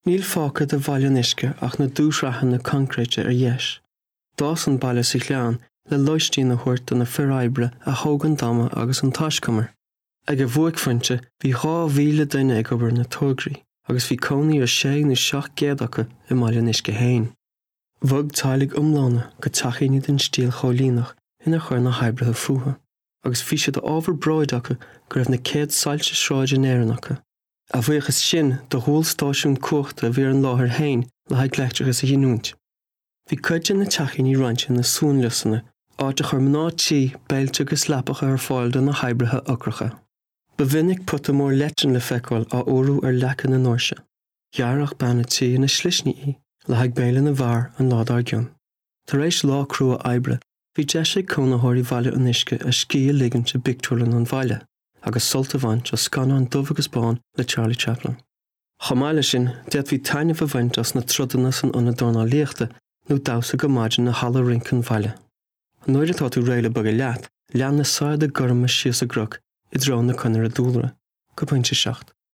Níl fágtha de Bhaile an Uisce ach na dúshraitheanna coincréite ar dheis. D'fhás an baile sa ghleann le lóistín a thabhairt do na fir oibre a thóg an damhna agus an taiscumar. Ag a bhuaicphointe bhí 2,000 duine ag obair ar na tograí agus bhí cónaí ar sé nó 700 acu i mBaile an Uisce féin. Bhog teaghlaigh iomlána go teachíní den stíl choilíneach inar chuir na hoibrithe fúthu, agus bhí sé d'ábhar bróid acu go raibh na céad soilse sráide in Éirinn acu. A bhuíochas sin do dhualstáisiún cumhachta a bhí ar an láthair féin le haghaidh leictreachas a ghiniúint. Bhí cuid de na teachíní roinnte ina suanliosanna, áit a chuir mná tí béilte agus leapacha ar fáil do na hoibrithe ocracha. Ba mhinic pota mór leitean le feiceáil á fhuarú ar leaca na ndoirse. Ghearrfadh bean an tí ina slisní í le haghaidh béile na bhfear an lá dár gcionn. Tar éis lá crua oibre, bhí deis ag cónaitheoirí Bhaile an Uisce a scíth a ligint i bpictiúrlann an bhaile. agus sult a bhaint as scannán dubh agus bán le Charlie Chaplin. Chomh maith leis sin, d'fhéadfaí taitneamh a bhaint as na troideanna san ionad dornálaíochta nó damhsa go maidin i halla rince an bhaile. Nuair atá tú réidh le bogadh leat, lean na saigheada gorma síos an gcnoc i dtreo na conaire dúlra, go pointe 7.